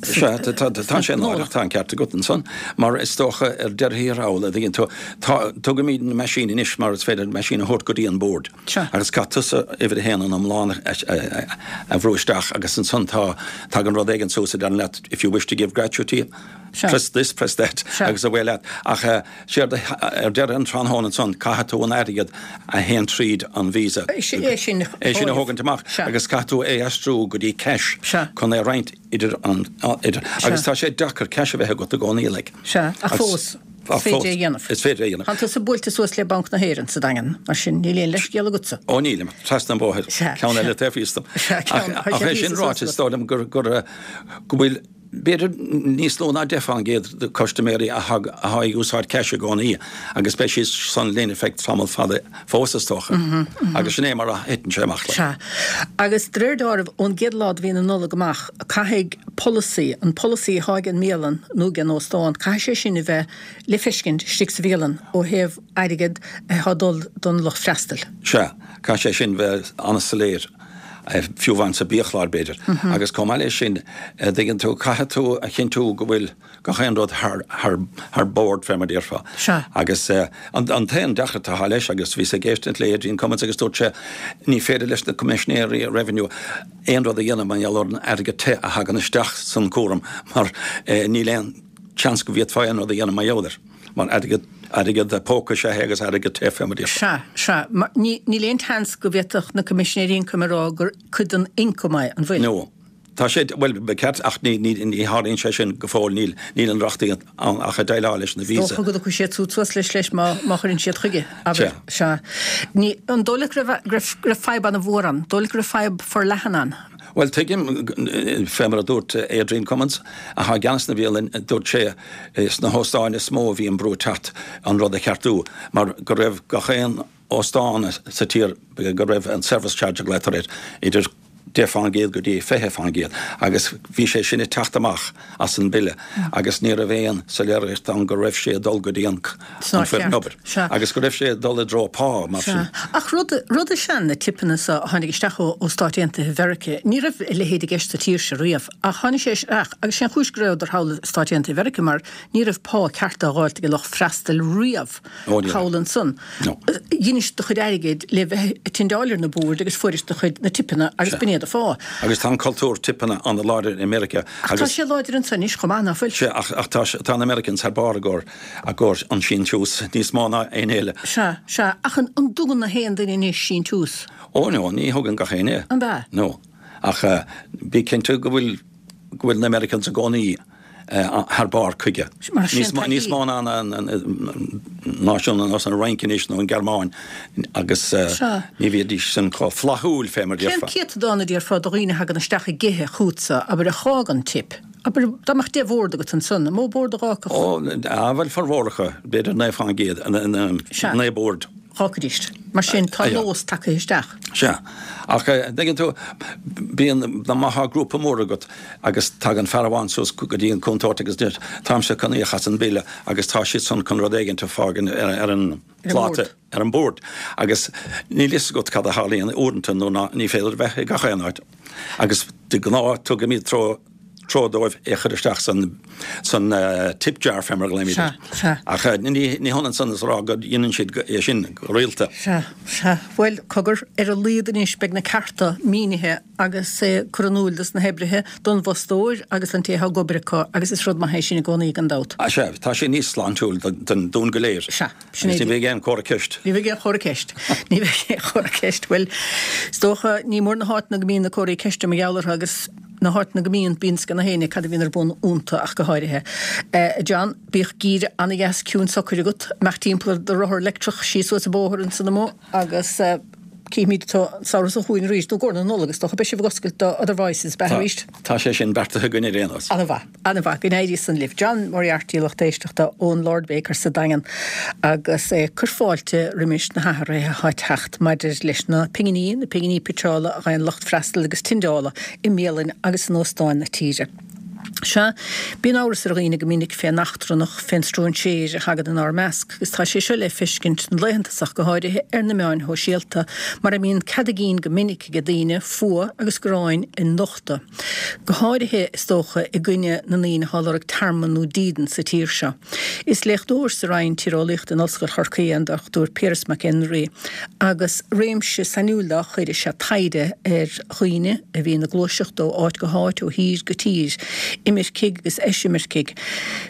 Sea, tá sé náireach, tá an ceart agat ansan, mar is dócha ar deireadh thiar thall, a dtuigeann tú, tá, tugaimid na meaisín anois mar is féidir an meaisín a thabhairt go dtí an bord. Agus caithfidh tusa uimhir a haon an iomlán a bhrú isteach agus ansan tá, tagann rud éigin suas a deireann leat if you wish to give gratuity, Press this, press that agus away leat. Ach séard ar deireadh an tráthnóna ansan, caithfidh tú an airgead a théann tríd an Visa, é
sin
a thógaint amach agus caithfidh tú é aistriú go dtí cash chun é a roinnt idir an, idir, agus tá sé deacair cash a bheith agat i gcónaí
like. Sea, ach fós, is féidir é a dhéanamh.
Is féidir é a dhéanamh.
Tá tusa buailte suas le Banc na hÉireann sa Daingean, mar sin níl aon leithscéal agatsa.
Ó nílim, trasna an bhóthair, ceann eile taobh thíos dom. Ach é sin ráite, is dóigh liom gur, gur, go bhfuil, B'fhéidir níos lú ná 10% de custaiméirí atá ag úsáid cash i gcónaí agus beidh siad san linn ar feadh tamall fada fós is dócha. Agus sin é mar a thiteann sé amach.
Sea. Agus de réir dealraimh, ón gcéad lá de mhí na Nollag amach, caithfidh polasaí, an polasaí atá ag an mbialann nó ag an óstán, caithfidh sé sin a bheith le feiscint istigh sa bhialann ó thaobh airgead atá ag dul don lucht freastail.
Sea. Caithfidh sé sin bheith an-soiléir. fiú amháin sa biachlár b'fhéidir. Agus chomh maith leis sin, a dtuigeann tú, caithfidh tú a chinntiú go bhfuil gach aon rud thar, thar, thar bord fé mar a déarfá.
Sea.
Agus an, an t-aon deacracht atá leis, agus bhíos ag éisteacht le Adrian Cummins agus dúirt sé, ní féidir leis na Coimisinéirí Revenue aon rud a dhéanamh mar gheall ar an airgead te a thagann isteach san cúram mar níl aon tseans go bhféadfá aon rud a dhéanamh mar gheall air. Mar airgead, airgead póca is ea é agus airgead te fé mar a
déarfá. Sea, sea. Mar ní, níl aon tseans go bhféadfadh na Coimisinéirí Ioncaim a rá gur cuid den ioncam é, an bhfuil?
No. Tá sé, bhuel, ba cheart, ach ní, ní, ní tharlaíonn sé sin go fóill, níl, níl an reachtaíocht ann ach ag déileáil leis na
Visa. Is dócha go dtiocfaidh siad súd suas leis, leis má, má chuireann siad chuige, abair. Sea. Sea. Ní, an dóigh leat go raibh, go raibh, go raibh fadhb an-mhór ann? Dóigh leat go raibh fadhb forleathan ann?
Bhuel, tuigim, fé mar a dúirt Adrian Cummins, atá i gceannas na bhialann, dúirt sé, sna hóstáin is mó a bhí an brú ag teacht an rud a cheartú, mar go raibh gach aon óstán sa tír, go raibh an service charge a ghlaotar air, idir 10% go dtí 20%, agus bhí sé sin ag teacht amach as an bille agus ní raibh aon soiléireacht ann go raibh sé ag dul go dtí an foireann obair agus go raibh sé ag dul i dtreo pá mar sin.
Ach rud, rud is ea na tipeanna so a tháinig isteach ó ó Stáit Aontaithe Mheirice, ní raibh a leithéid i gceist sa tír seo riamh ach tháinig sé isteach agus sé an chúis go rabhadar thall i Stáit Aontaithe Mheirice mar ní raibh pá ceart á dh'fháilt ag an lucht freastail riamh. Thall ansan. Dheinis do chuid airgid le bheith ag tindeáil ar na boird agus fuairis do chuid na tipeanna agus b'in é do phá.
Agus tá an cultúr tipeanna an-láidir i Meiriceá.
Ach tá sé láidir anso anois chomh maith, ná fuil?
Sea, ach tá, tá na Americans thar barr i gcomhair, i gcomhair an síntiús níos mó ná éinne eile.
Sea, sea, ach an dtugann na haon duine anois síntiús?
Ó, no, ní thugann gach éinne.
An ea?
No. Ach bí cinnte go bhfuil, go bhfuil na Americans i gcónaí. Thar barr chuige. Níos mó ná náisiún ar nós an Fhrainc anois nó an Ghearmáin agus ní bhídís sin chomh flaithiúil fé mar
déarfá. Cén céatadán a déarfá de dhaoine a thagann isteach ag ithe chugatsa, abair, a dh'fhágann tip? Abair, dá mbeadh 10 bhord agat ansan, an mó bord a dh'fhágfadh?
Ó, bhuel, formhór acu, b'fhéidir 9%, 9 bord.
Dh'fhágfaidís. Mar sin, tá nós tagtha isteach.
Sea. Ach, dtuigeann tú, bíonn, má thá grúpa mór agat agus tagann fear amháin suas go dtí an cúntóir agus deir, táimse chun íoc as an bille agus tá siad san chun rud éigint a fhágaint ar an phláta, ar an bord. Agus níl fhios agat cad a tharlaíonn uaireanta nó ná ní féidir a bheith i gach aon áit. Agus de ghnáth tugaimid treo treoir dóibh é a chur isteach san san tip jar fé mar a ghlaoimid air.
Sea, sea.
Ach ní ní hionann san is a rá go ndéanann siad é sin go rialta.
Sea, sea. Bhuel, cogar, ar a laghad anois beidh na cearta mínithe agus curtha in iúl dos na hoibrithe, don bhfostóir agus don té atá ag obair acu agus is rud maith é sin i gcónaí gan dabht.
Sea, tá sé níos sláintiúil don dúinn go léir.
Sea.
Agus ní bheidh aon chomhartha ceist.
Ní bheidh aon chomhartha ceist. Ní bheidh aon chomhartha ceist. Bhuel, is dócha, ní mór na háiteanna go mbíonn na comharthaí ceiste mar gheall orthu agus na háiteanna go mbíonn, bíonn a fhios ag gach éinne cad a bhíonn ar bun iontu ach go háirithe. A John, bíodh geimhreadh ana-dheas ciúin socair agat, amach timpeall ar do rothar leictreach síos suas an bóthar ansan amuigh agus cífimid tú an samhradh seo chugainn arís, nó i gcomhair na Nollag is dócha. Beidh sibh ag oscailt do Other Voices, beidh arís?
Tá sé sin beartaithe againn ar aon nós.
Ana-mhaith. An-mhaith, go n-éirí san libh. John Moriarty, lucht éisteachta ón Lord Baker sa Daingean agus é ag cur fáilte roimis na hathruithe atá ag teacht maidir leis na pinginí, na pinginí pitseála a fhaigheann lucht freastail agus tindeála i mbialainn agus in óstáin na tíre. Sea, bíonn amhras ar dhaoine go minic fén eachtrannach, fén stróinséir a thagann inár measc agus tá sé seo le feiscint na laethanta seo ach go háirithe ar na meáin shóisialta mar a mbíonn cead a gcinn go minic ag daoine fuath agus gráin a nochtadh. Go háirithe, is dócha, i gcoinne na ndaoine atá ag lorg tearmann nó dídean sa tír seo. Is léachtóir sa Roinn Tíreolaíochta in Ollscoil Chorcaí é an Dr Piaras Mac Éinrí agus réimse sainiúil dá chuid is ea taighde ar dhaoine a bhíonn ag gluaiseacht ó áit go háit, ó thír go tír, imircigh agus eisimircigh.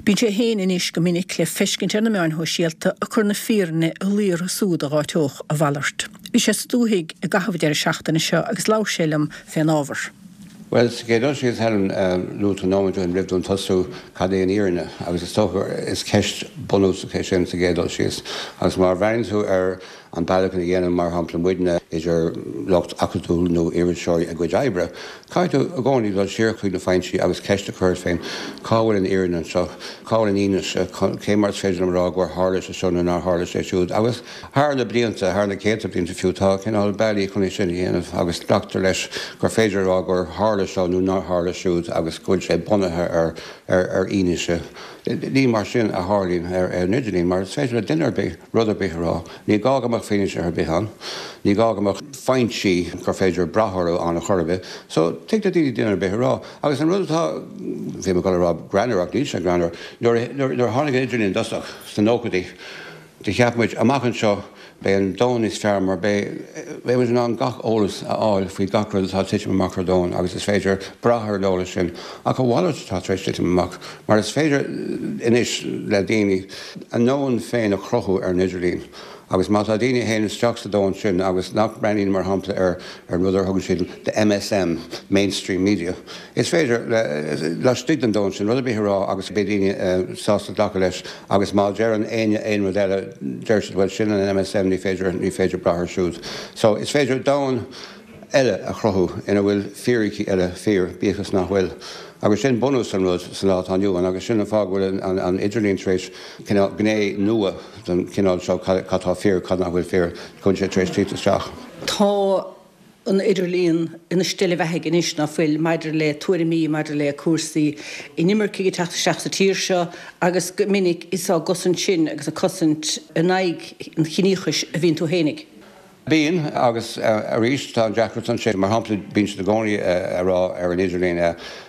Bíonn sé féin anois go minic le feiscint ar na meáin shóisialta ag cur na fírinne i luí orthu súd a dh'áiteodh a mhalairt. Bhí sé sa dúthaigh i gcaitheamh an deireadh seachtaine seo agus labhair sé liom fén ábhar.
Bhuel, sa gcéad dul síos, Helen, luaigh tú nóiméad ó shin roimh dúinn tosú, cad é an fhírinne? Agus is dócha gur is ceist bunúsach é sin sa gcéad dul síos. Agus má bhreathnaíonn tú ar an bealach ina dhéanann, mar shampla, muidne, idir lucht acadúil nó iriseoirí a gcuid oibre, caithfidh tú i gcónaí dul siar chuig na foinsí agus ceist a chur ort féin, cá bhfuil an fhírinne anseo? Cá bhfuil an fhianaise? Cé mar is féidir liom a rá gur tharla sé seo nó nár tharla sé siúd? Agus. Thar na blianta, thar na céadta blianta fiú, tá cineál bealaí chun é sin a dhéanamh agus glactar leis gur féidir a rá gur tharla seo nó nár tharla siúd agus go bhfuil sé bunaithe ar ar fhianaise. Ní mar sin a tharlaíonn ar an idirlíon mar is féidir le duine ar bith rud ar bith a rá. Ní gá go mbeadh fianaise ar bith ann. Ní gá go mbeadh foinsí gur féidir brath orthu ann a chor ar bith. So, tig le daoine duine ar bith a rá. Agus an rud atá, bhí mé ag dul a rá greannmhar ach níl sé greannmhar, nuair a tháinig an idirlíon i dtosach sna nóchaidí, Do cheap muid, amach anseo, beidh an domhan níos fearr mar beidh muid in ann gach eolas a fháil faoi gach rud atá ag titim amach ar domhan agus is féidir brath ar an eolas sin. Ach a mhalairt atá tar éis titim amach mar is féidir anois le daoine a ndomhan féin a chruthú ar an idirlíon agus má tá daoine a théann isteach sa domhan sin agus nach mbreathnaíonn mar shampla ar an rud ar thugann siad the MSM, mainstream media, Is féidir, laistigh den domhan sin, rud ar bith a rá agus beidh daoine sásta glacadh leis agus má deireann éinne aon rud eile, deir siad bhuel sin an MSM, ní féidir, ní féidir brath air siúd. So, is féidir domhan eile a chruthú ina bhfuil fíricí eile fíor, bíodh is nach bhfuil. Agus sin bunús an rud sa lá atá inniu ann agus sin an fáth go bhfuil an idirlíon tar éis cineál gné nua den chineál seo, cad atá fíor, cad nach bhfuil fíor, go bhfuil sé tar éis tíocht isteach.
Tá an idirlíon ina steillebheathaidh anois, ná fuil, maidir le tuairimí maidir le cúrsaí inimircigh ag teacht isteach sa tír seo agus go minic is á gcosaint sin agus ag cosaint in aghaidh an chiníochais a bhíonn tú fhéinig.
Bíonn, agus arís tá an deacracht ansin. Mar shampla, bíonn siad i gcónaí ag rá ar an idirlíon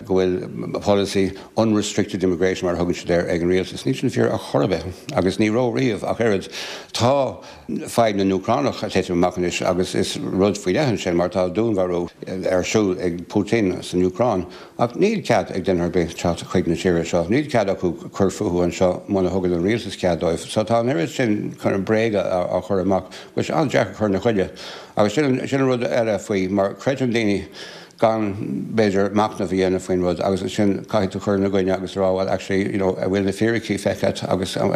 go bhfuil polasaí unrestricted immigration, mar a thugann siad air, ag an rialtas. Níl sin fíor ar chor ar bith agus ní raibh riamh ach oiread. Tá. Fadhb na nÚcránach ag titim amach anois agus is rud faoi leith ansin mar tá dúnmharú ar siúl ag Putin san Úcráin ach níl cead ag duine ar bith teacht chuig na tíre seo, níl cead acu cur fúthu anseo muna thugann an rialtas cead dóibh. So tá an oiread sin kind of bréaga á chur amach go bhfuil sé an-deacair cur ina choinne. Agus sin an rud eile faoi mar creideann daoine. Gan, b'fhéidir, machnamh a dhéanamh faoin rud agus ansin caithfidh tú cur ina gcoinne agus a rá well actually you know an bhfuil na fíricí feicthe agat agus an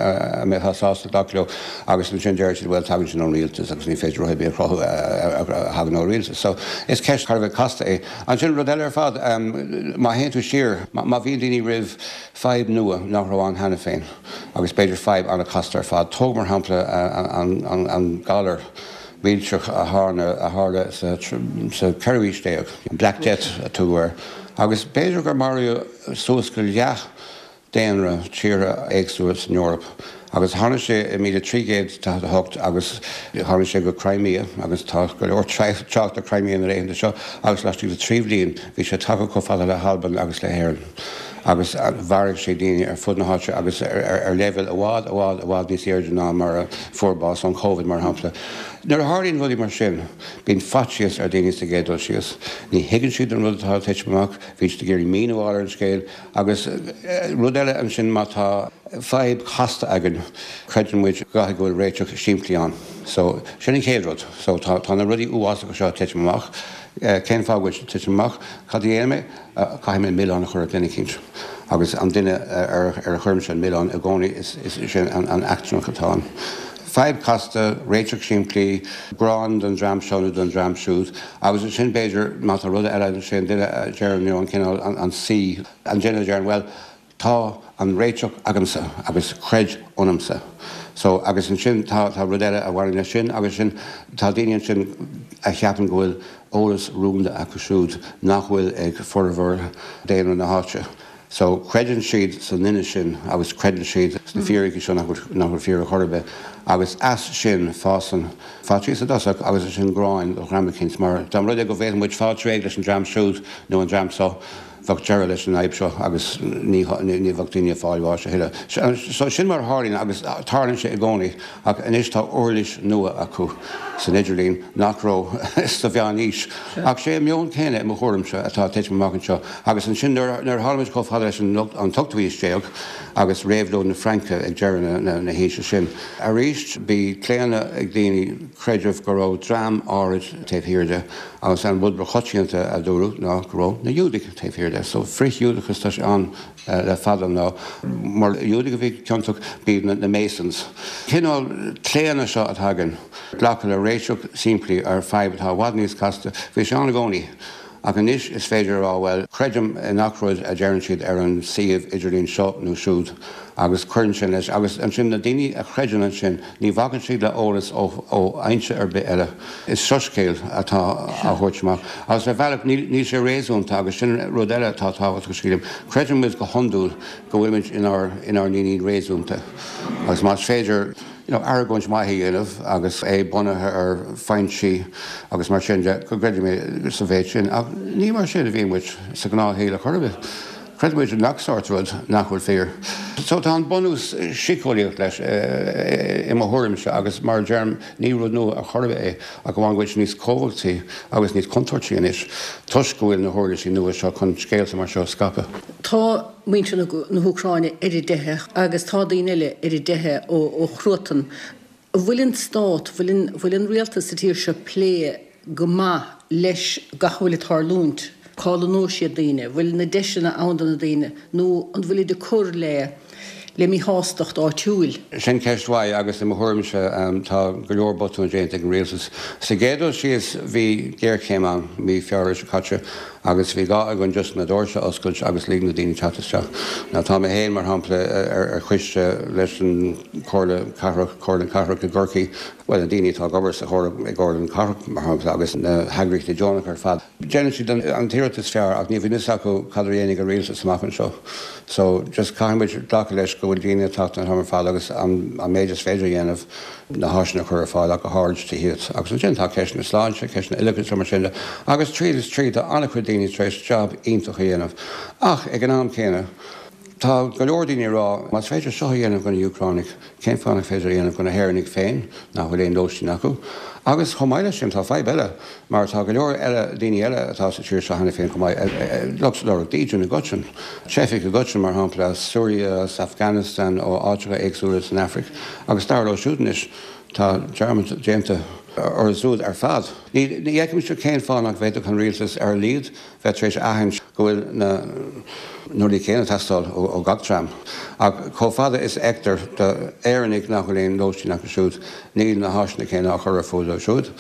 mbeifeá sásta glacadh leo agus ansin deir siad well tagann sin ón rialtas agus ní féidir rud ar bith a chruthú a thagann ó rialtas. So is ceist thar a bheith casta é. Ansin rud eile ar fad, má théann tú siar, má bhíonn daoine roimh fadhb nua nach raibh ann cheana féin agus b'fhéidir fadhb an-chasta ar fad, tóg mar shampla an galar, millteach a tharla sa cheathrú haois déag, an Black Death a tugadh air, agus b'fhéidir gur maraíodh suas go leath daonra tíortha éagsúla san Eoraip. Agus tháinig sé i 1348 agus tháinig sé go Crimea, agus tá go leor trácht ar Crimea na laethanta seo, agus laistigh de thrí bhliain bhí sé tagtha chomh fada le hAlbain agus le hÉirinn. Agus mharaigh sé daoine ar fud na háite agus ar leibhéal i bhfad, i bhfad, i bhfad níos airde ná mar a fuair bás ón Covid, mar shampla. Nuair a tharlaíonn rudaí mar sin, bíonn faitíos ar dhaoine sa gcéad dul síos. Ní thuigeann siad an rud atá ag titim amach, bíonn siad ag iarraidh míniú a fháil ar an scéal. Agus rud eile ansin, má tá fadhb chasta againn, creideann muid go gcaithfidh go bhfuil réiteach simplí ann. So, sin an chéad rud. So, tá, tá na rudaí uafásacha seo ag titim amach. Cén fáth go bhfuil siad ag titim amach? Cad a dhéanfaidh mé? Caithfidh mé milleán a chur ar dhuine eicínt. Agus an duine ar a chuirimse an milleán i gcónaí, is é an eachtrannach atá ann. Fadhb chasta, réiteach simplí, gráin don dream seo nó don dream siúd. Agus ansin b'fhéidir, má tá rud eile, sé an duine a deireann, you know, an cineál, an saoi, an duine a deireann, bhuel, Tá an réiteach agamsa agus creid ionamsa. So, agus ansin tá, tá rud eile a bhaineann leis sin agus sin, tá daoine ansin a cheapann go bhfuil eolas rúnda acu siúd nach bhfuil ag formhór daonra na háite. So, creideann siad sa nduine sin agus creideann siad sna fíricí seo nach bhfuil, nach bhfuil fíor ar chor ar bith agus as sin fásann faitíos i dtosach agus ansin gráin do dhream eicínt mar dá mba rud é go bhféadfadh muid fáil réidh leis an dream siúd nó an dream seo, bheadh deireadh leis an fhadhb seo agus ní bheadh daoine ag fáil bháis a thuilleadh. So sin mar a tharlaíonn agus tarlaíonn sé i gcónaí ach anois tá uirlis nua acu san idirlíon nach raibh sa mheánaois. Ach sé an meon céanna i mo thuairimse atá ag titim amach anseo agus ansin nuair a tháinig muid chomh fada leis an ochtú haois déag agus réabhlóid na Fraince ag deireadh na haoise sin arís bhí claonadh ag daoine creideamh go raibh dream áirid taobh thiar de Agus an rud ba choitianta a dúradh ná go raibh na Iúdaigh taobh thiar de. So frith-Ghiúdachas, tá sé ann le fada an lá. Mura Iúdaigh a bhí ciontach, b'iad na Masons. Cineál claonadh seo atá againn, glacadh le réiteach simplí ar fadhb atá i bhfad níos casta, bhí sé ann i gcónaí. Ach anois is féidir a rá, bhuel, creidim i ngach rud a deireann siad ar an suíomh idirlín seo nó siúd agus cuireann sin leis. Agus ansin na daoine a chreideann ansin, ní bhacann siad le eolas ó fhoinse ar bith eile. Is soiscéal atá á thabhairt amach. Agus ar bhealach níl sé réasúnta agus sin rud eile atá tábhachtach sílim. Creideann muid go hiondúil go bhfuilimid inár inár ndaoine réasúnta agus más féidir you know argóint mhaith a dhéanamh agus é bunaithe ar foinsí agus mar sin de go gcreidfidh mé sa mhéid sin. Ach ní mar sin a bhíonn muid sa ghnáthshaol a chor ar bith. Creideann muid i ngach sórt rud nach bhfuil fíor. So tá an bunús síceolaíoch leis i mo thuairimse agus mar a deirim ní rud nua ar chor ar bith é ach amháin go bhfuil sé níos cumhachtaí agus níos contúirtí anois toisc go bhfuil na huirlisí nua seo chun scéalta mar seo a scaipeadh.
Tá muintir na hÚcráine ar a dteitheadh agus tá daoine eile ar a dteitheadh ó chruatan. An bhfuil an stát, bhfuil bhfuil an rialtas sa tír seo ag plé go maith leis gach a bhfuil ag tarlúint? Cá lonnóidh siad daoine? Bhfuil na deiseanna ann do na daoine nó an bhfuilid ag cur le le míshástacht áitiúil?
Sin ceist mhaith agus i mo thuairimse tá go leor botúin déanta ag an rialtas. Sa gcéad dul síos bhí géarchéim ann mí Feabhra seo caite agus bhí gá againn just na doirse a oscailt agus lig na daoine teacht isteach. Now tá mé féin mar shampla ar choiste leis an Comhairle Cathrach, Comhairle Cathrach i gCorcaigh, bhuel na daoine atá ag obair sa Chomhairle, i gComhairle na Cathrach mar shampla agus na heagraíochtaí deonacha ar fad. Déanann siad an t-iarracht is fearr ach níl fhios acu cad a dhéanfaidh an rialtas amach anseo. So just caithfidh muid glacadh leis go bhfuil daoine ag teacht an t-am ar fad agus an méid is féidir a dhéanamh na háiseanna a chur ar fáil ach go háirid tithíocht. Agus ansin tá ceist na sláinte, ceist na oideachais mar sin de. Agus tríd is tríd tá an-chuid daoine tar éis jab iontach a dhéanamh. Ach ag an am céanna tá go leor daoine ag rá más féidir seo a dhéanamh do na hÚcránaigh, Cén fáth nach féidir a dhéanamh do na hÉireannaigh féin nach bhfuil aon lóistín acu? Agus chomh maith leis sin, tá fadhb eile, mar tá go leor eile, daoine eile atá sa tír seo cheana féin chomh maith, lucht lorg dídean i gcoiteann, teifigh i gcoiteann, mar shampla, as Siria, as Afghanistan, ó áiteacha éagsúla san Afraic, agus dar leo siúd anois, tá dearmad déanta. Orthu siúd ar fad. Ní fheicimse cén fáth nach bhféadfadh an rialtas ar a laghad bheith tar éis a aithint go bhfuil na rudaí céanna ag teastáil ó gach dream. Ach chomh fada is a fheictear d'Éireannaigh nach bhfuil aon lóistín acu siúd, níl na háiseanna céanna á chur ar fáil dóibh siúd,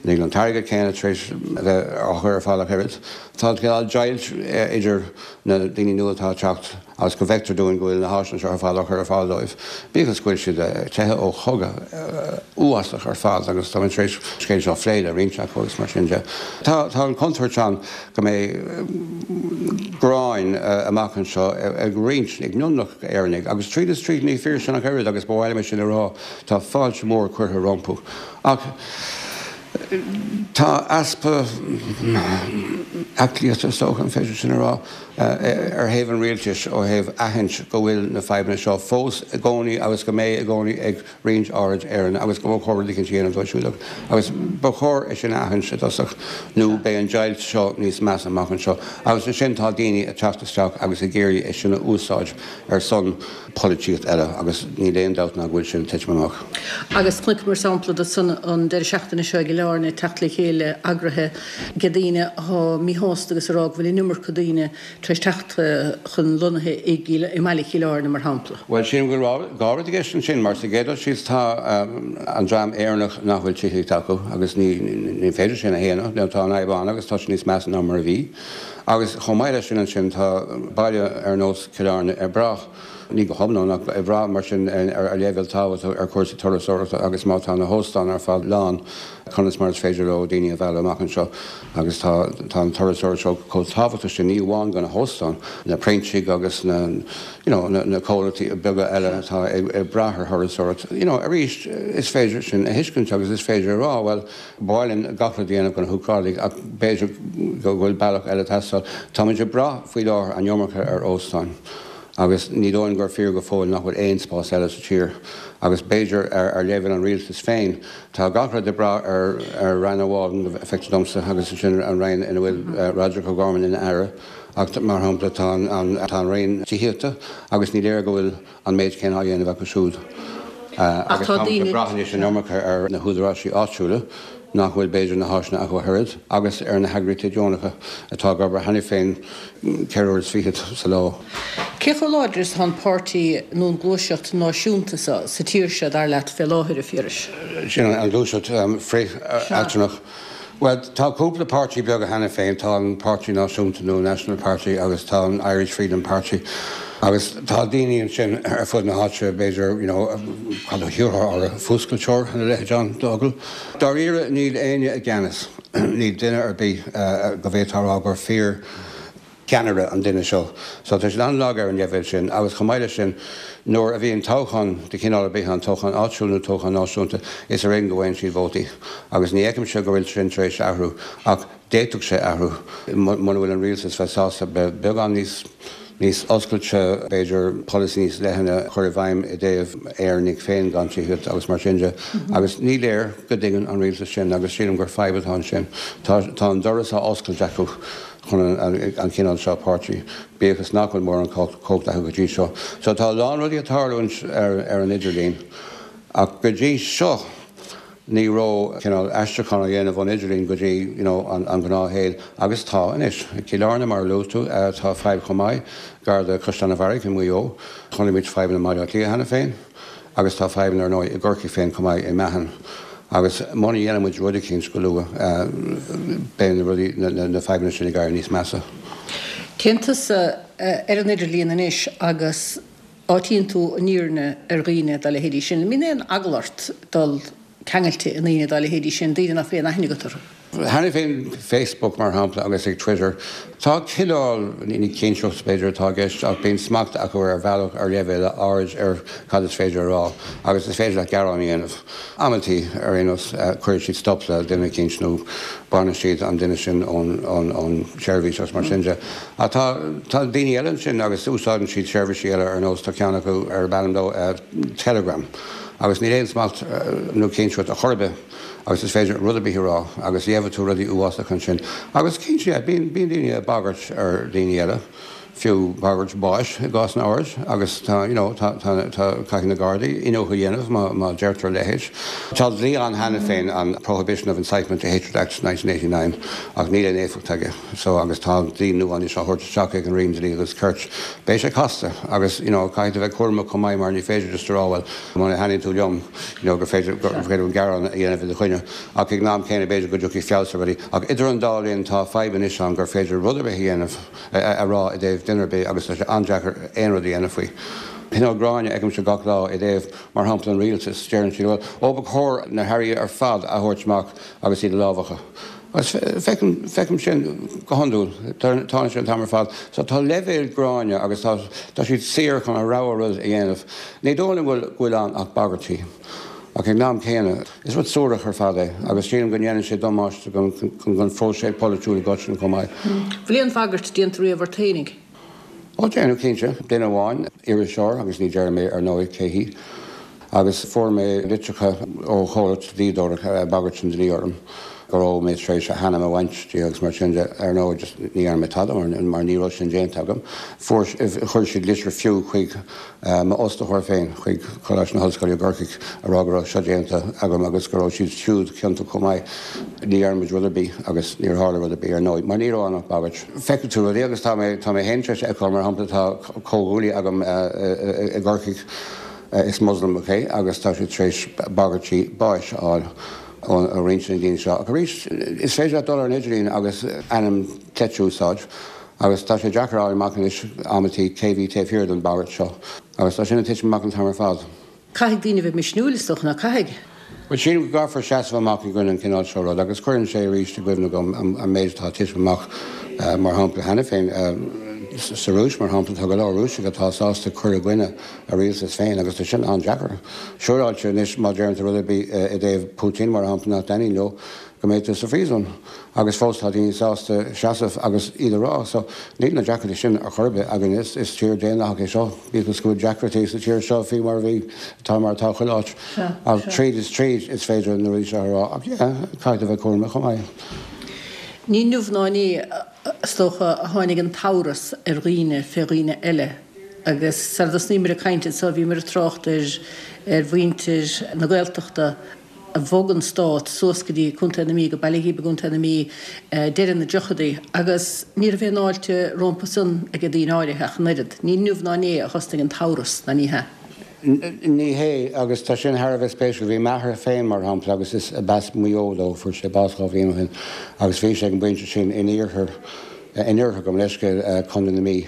níl an t-airgead céanna tar éis a bheith á chur ar fáil ach oiread. Tá cineál deighilt idir na daoine nua atá ag teacht agus go bhfeictear dúinn go bhfuil na háiseanna seo ar fad á chur ar fáil dóibh, bíodh is go bhfuil siad ag teitheadh ó chogadh uafásach ar fad agus táimid tar éis an scéal seo a phlé le roinnt acu agus mar sin de. Tá an chontúirt ann go mbeidh gráin amach anseo ag roinnt, ag mionlach Éireannaigh agus tríd is tríd ní fíor sin ach oiread agus ba mhaith liom é sin a rá, tá fáilte mhór curtha rompu ach tá easpa aclaíochta, is dócha, an féidir sin a rá? ar thaobh an rialtais ó thaobh aithint go bhfuil na fadhbanna seo fós i gcónaí agus go mbeidh i gcónaí ag roinnt áirid Éireannach agus go mba chóir rud eicínt a dhéanamh dóibh siúd agus ba chóir é sin a aithint i dtosach nó beidh an deighilt seo níos measa amach anseo agus ansin tá daoine ag teacht isteach agus ag iarraidh é sin a úsáid ar son polaitíocht eile agus níl aon dabht ná go bhfuil sin ag titim amach.
Agus chonaiceamar sampla de san an deireadh seachtaine seo i gCill Airne, teacht le chéile eagraithe ag daoine atá míshásta agus ag rá go bhfuil an iomarca daoine tar éis teacht chun lonnaithe i mbaile Chill Airne mar shampla.
Bhuel, sílim go bhfuil dhá rud i gceist ansin, mar sa gcéad dul síos tá an dream Éireannach nach bhfuil tithíocht acu agus ní féidir sin a shéanadh, tá an fhadhb ann agus tá sé níos measa ná mar a bhí. Agus chomh maith leis sin ansin tá baile ar nós Cill Airne ag brath, ní go hiomlán ach ag brath mar sin ar leibhéal tábhachtach ar chúrsaí turasóireachta agus má tá na hóstáin ar fad lán conas mar is féidir leo daoine a mhealladh amach anseo agus tá tá an turasóireacht seo chomh tábhachtach sin ní amháin do na hóstáin, na Proinsiaigh agus na you know na comhlachtaí beaga eile atá ag brath ar thurasóireacht. You know arís is féidir sin a thuiscint agus is féidir a rá bhuel Ba mhaith linn gach rud a dhéanamh do na hÚcránaigh ach b'fhéidir go bhfuil bealach eile ag teastáil. Táimid ag brath faoi láthair an iomarca ar óstáin agus ní dóigh liom gur fíor go fóill nach bhfuil aon spás eile sa tír agus b'fhéidir ar leibhéal an rialtais féin tá gach rud ag brath ar Roinn amháin, feictear domsa, agus sin an Roinn ina bhfuil Roderic O'Gorman ina aire ach mar shampla tá an Roinn Tithíochta agus ní léir go bhfuil an méid céanna á dhéanamh acu siúd agus táimid ag brath anois an iomarca ar na húdaráisí áitiúla nach bhfuil b'fhéidir na háiseanna acu ach oiread agus ar na heagraíochtaí deonacha atá ag obair cheana féin 24 uair sa lá.
Cé chomh láidir is atá an páirtí nó an gluaiseacht náisiúnta seo sa tír seo, dar leat, fé láthair, a Phiarais?
Sin an ghluaiseacht frith-eachtrannach. Bhuel, tá cúpla páirtí beaga cheana féin, tá an Páirtí Náisiúnta nó National Party agus tá an Irish Freedom Party agus tá daoine ansin ar fud na háite, b'fhéidir, you know, cad a thiúrfá orthu, fuascailteoir nó a leithéid ann d'fhocal. Dáiríre, níl éinne i gceannas, níl duine ar bith go bhféadfá a rá gur fíor ceannaire an duine seo. So tá siad an-lag ar an leibhéal sin agus chomh maith leis sin nuair a bhíonn toghchán de chineál ar bith ann, toghchán áitiúil nó toghchán náisiúnta, is ar éigean go bhfaigheann siad vótaí agus ní fheicimse go bhfuil sin tar éis athrú ach d'fhéadfadh sé athrú muna bhfuil an rialtas bheith sásta bheith beagán níos níos oscailte, b'fhéidir polasaí níos leithne a chur i bhfeidhm i dtaobh Éireannaigh féin gan tithíocht agus mar sin de agus ní léir go dtuigeann an rialtas sin agus sílim gur fadhb atá ansin. Tá tá an doras á oscailt acu. chun an cineál seo páirtí, bíodh is nach bhfuil mórán cumhacht acu go dtí seo. So tá a lán rudaí ag tarlúint ar an idirlíon ach go dtí seo ní raibh cineál aistriúchán á dhéanamh ón idirlíon go dtí you know an gnáthshaol agus tá anois. I gCill Airne mar a luaigh tú tá fadhb chomh maith gar do Chaisleán an Bharraigh i Maigh Eo. Chonaic muid fadhbanna i mBaile Átha Cliath cheana féin. Agus tá fadhbanna ar ndóigh i gCorcaigh féin chomh maith, i Meathan. Agus muna dhéanann muid rud eicínt go luath, beidh na rudaí, na fadhbanna sin ag éirí níos measa.
Téann tusa ar an idirlíon anois agus áitíonn tú an fhírinne ar dhaoine dá leithéidí sin. An mbíonn aon eagla ort dul ceangailte i ndaoine dá leithéidí sin, daoine nach bhfuil aon aithne agat orthu?
Cheana féin, Facebook mar shampla agus ag Twitter, tá cineál, ní cinsireacht b'fhéidir atá i gceist ach bíonn smacht acu ar bhealach ar leibhéal áirid ar cad is féidir a rá agus is féidir leat gearán a dhéanamh. Amantaí, ar aon nós, cuireann siad stop le duine eicínt nó baineann siad an duine sin ón tseirbhís agus mar sin de. Ach tá tá daoine eile ansin agus úsáideann siad seirbhísí eile ar nós, tá ceann acu arb ainm dó Telegram agus níl aon smacht nó cinsireacht ar chor ar bith. agus is féidir rud ar bith a rá agus gheobhaidh tú rudaí uafásacha ansin. Agus cinnte, yeah, bíonn, bíonn daoine ag bagairt ar dhaoine eile. Fiú bagairt báis i gcásanna áirid agus tá, you know, tá, tá, tá, caithfidh na Gardaí iniúchadh a dhéanamh má, má deirtear a leithéid. Tá dlí ann cheana féin, an Prohibition of Incitement to Hatred Act 1989, ach níl aon éifeacht aige. So, agus tá dlí nua anois á thabhairt isteach ag an Roinn Dlí agus Cirt. Beidh sé casta agus, you know, caithfidh tú bheith cúramach chomh maith mar ní féidir just a rá, bhuel, muna thaitníonn tú liom, you know, gur féidir, gur féidir an gearán a dhéanamh i do choinne. Ach ag an am céanna b'fhéidir go dtiocfaidh feabhas ar rudaí. Ach idir an dá linn tá fadhb anois ann gur féidir rud ar bith a dhéanamh. a rá i dtaobh duine ar bith agus tá sé an-deacair aon rud a dhéanamh faoi. Cineál gráin a fheicimse gach lá i dtaobh, mar shampla, an rialtais. Deireann siad, bhuel, ó ba chóir na hairí ar fad a thabhairt amach agus iad a lámhachadh. Agus feicim, feicim sin go hiondúil. Tarlaíonn sé an t-am ar fad. So tá leibhéal gráine agus tá, tá siad saor chun a rogha rud a dhéanamh. Ní dóigh liom go bhfuil, go bhfuil ann ach bagairtí. Ach ag an am céanna, is rud suarach ar fad é agus sílim go ndéanann sé damáiste don phróiseas polaitiúil i gcoitinne chomh maith.
Bhfuil aon bhagairt déanta riamh ort fhéinig?
Ó, déanadh, cinnte. Duine amháin, iriseoir, agus ní déarfaidh mé ar ndóigh cé hí, agus fuair mé litreacha ó chomhlacht dlíodóireachta ag bagairt an dlí orm, go raibh mé tar éis a hainm a bhaint di agus mar sin de. Ar ndóigh, just ní dhearna mé tada mar ní raibh sin déanta agam. Fuair, chuir siad litir fiú chuig m'fhostaitheoir féin chuig Coláiste na hOllscoile i gCorcaigh a rá go raibh seo déanta agam agus go raibh siad siúd ciontach chomh maith. Ní dhearna muid rud ar bith agus níor tharla rud ar bith ar ndóigh, mar ní raibh ann ach bagairt. Feicfidh tú rudaí agus tá mé tá mé féin tar éis a fheiceáil, mar shampla tá comhghuaillí agam i gCorcaigh, is Moslamach é agus tá sé tar éis bagairtí báis a fháil ó roinnt de na daoine seo. Ach arís, is féidir leat dul ar an idirlíon agus ainm cleite a úsáid. Agus tá sé deacair a fháil amach anois amantaí cé bhí taobh thiar den bhagairt seo. Agus tá sin ag titim amach an t-am ar fad.
Caithfidh daoine a bheith misniúil, is dócha, ná caithfidh?
Bhuel, sílim go gcaithfear seasamh amach i gcoinne an chineál seo rud agus cuireann sé arís i gcuimhne dom an méid atá ag titim amach, mar shampla, cheana féin sa Rúis, mar shampla, tá go leor Rúisigh atá sásta cur i gcoinne a rialtas féin agus tá sin an-deacair. Siúráilte anois má deireann tú rud ar bith i dtaobh Putin, mar shampla, nach dtaitníonn leo, go mbeidh tú sa phríosún agus fós tá daoine sásta seasamh agus iad a rá. So níl na deacrachtaí sin ar chor ar bith againn. Is is tír daonlathach é seo, bíodh is go bhfuil deacrachtaí sa tír seo faoi mar a bhí, atá mar atá chuile áit. Ach tríd is tríd is féidir na rudaí seo a rá ach yeah, caithfidh tú bheith cúramach chomh maith.
Ní inniu ná inné, is dócha, a tháinig an t-amhras ar dhaoine fé dhaoine eile agus sara dtosnaíomar ag caint anseo bhíomar ag trácht ar ar mhuintir na Gaeltachta a bhog an stát suas go dtí Contae na Mí, go Baile Ghib i gContae na Mí, deireadh na dtríochadaí agus ní raibh aon fháilte rompu san ag daoine áirithe ach an oiread. Ní inniu ná inné a thosnaigh an t-amhras, ná ní hea?
Ní hea, agus tá sin thar a bheith spéisiúil. Bhí m'athair féin, mar shampla, agus is b'as Maigh Eo dó, fuair sé bás 2 bhliain ó shin, agus bhí sé ag an bpointe sin in iarthar, in iarthar, gabh mo leithscéal, Contae na Mí.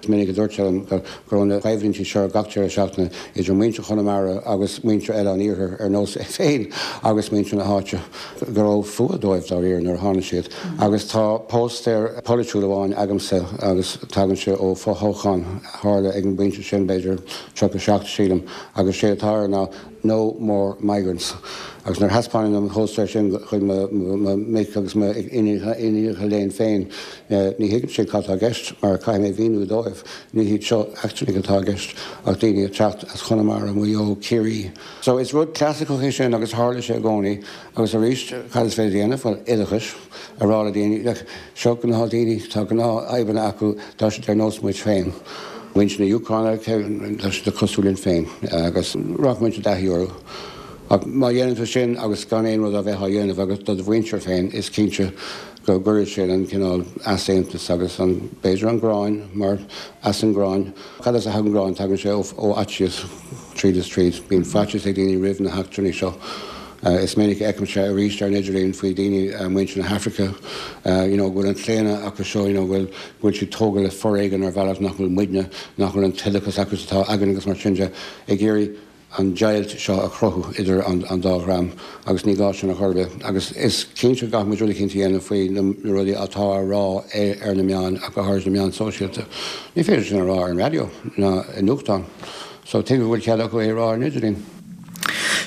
Is minic a dúirt sé liom go raibh na coimhlintí seo gach deireadh seachtaine idir muintir Chonamara agus muintir eile an iarthair ar nós é féin agus muintir na háite, go raibh fuath dóibh dáiríre nuair a tháinig siad. Agus tá póstaer polaitiúil amháin agamsa agus tagann sé ó fho-thoghchán a tharla ag an bpointe sin, b'fhéidir 37 sílim, agus sé atá air ná No more migrants. Agus nuair a thaispeánaim an póstaer sin chuig mo mhic agus m'iníonacha léinn féin, ní thuigeann siad cad tá i gceist, mar caithfidh mé a mhíniú dóibh, ní hiad seo eachtrannaigh atá i gceist, ach daoine ag teacht as Conamara, Maigh Eo, Ciarraí. So is rud clasaiceach é sin agus tharla sé i gcónaí. Agus arís, cad is féidir a dhéanamh? Bhuel, oideachais, a rá le daoine, look, seo gnáthdhaoine, tá gnáthfhadhbanna acu, tá siad ar nós muid féin. Muintir na hÚcráine, tá siad cosúil linn féin agus rachaidh muid i dtaithí orthu. Ach má dhéanann tú sin agus gan aon rud a bheith á dhéanamh agat do do mhuintir féin, is cinnte go gcuirfidh sé an cineál easaontas agus an, b'fhéidir an ghráin, mar as an ngráin, cad as a thagann gráin? Tagann sé ó fhaitíos, tríd is tríd. Bíonn faitíos ag daoine roimh na heachtrannaigh seo. Is minic a fheicimse arís ar an idirlíon faoi daoine, muintir na hAfraice, you know, go bhfuil an claonadh acu seo, you know, go bhfuil, go bhfuil siad tógtha le foréigean ar bhealach nach bhfuil muidne, nach bhfuil an t-oideachas acu atá againn agus mar sin de, ag iarraidh an deighilt seo a chruthú idir an an dá dhream agus ní gá sin ar chor ar bith. Agus is cinnte go gcaithfidh muid rud eicínt a dhéanamh faoi na rudaí atá á rá ar na meáin ach go háirid na meáin sóisialta. Ní féidir sin a rá ar an raidió ná i nuachtán. So tuige go bhfuil cead acu é a rá ar an idirlíon?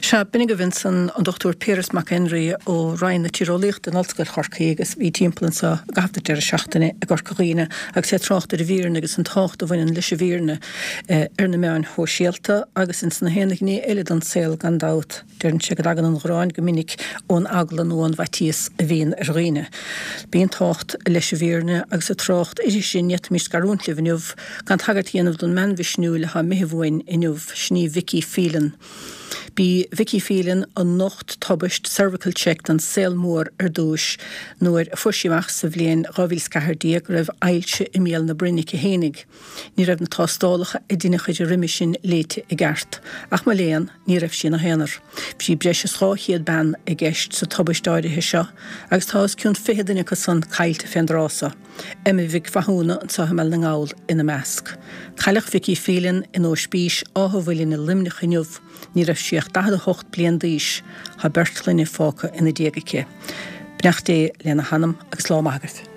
Sea, b'in agaibh ansan an Dr Piaras Mac Éinrí ó Roinn na Tíreolaíochta in Ollscoil Chorcaí agus a bhí timpeall anso i gcaitheamh na deireadh seachtaine i gCorca Dhuibhne agus é ag trácht ar an bhfírinne agus an tábhacht a bhaineann leis an bhfírinne ar na meáin shóisialta agus ins na haon ghné eile den saol gan dabht. Deireann sé go dtagann an ghráin go minic ón eagla nó ón bhfaitíos a bhíonn ar dhaoine. Bíonn tábhacht leis an bhfírinne agus ag trácht uirthi sin ní fhéadfaimis scarúint libh inniu gan tagairt a dhéanamh don mbean mhisniúil atá imithe uainn inniu, sin í Vicky Phelan. B'í Vicky Phelan a nocht tubaist Cervical Check don saol mór ar dtúis nuair a fuair sí amach sa bhliain 2014 go raibh ailse i mbéal na broinne aici fhéinig. Ní raibh na tástálacha a deineadh uirthi roimhe sin léite i gceart. Ach mo léan, ní raibh sí ina haonar. Bhí breis is 200 bean i gceist sa tubaist áirithe seo agus tá os cionn 20 duine acu san caillte fén dtráth so, Emma Mhic Mhathúna anseo i mBaile na nGall ina measc. Cailleadh Vicky Phelan in Óispís Áth an Mhuilinn i Luimneach inniu. Ní raibh sí ach 48 bliain d'aois. Tá beirt chlainne fágtha ina diaidh aici. Beannacht Dé lena hanam agus lá maith agaibh.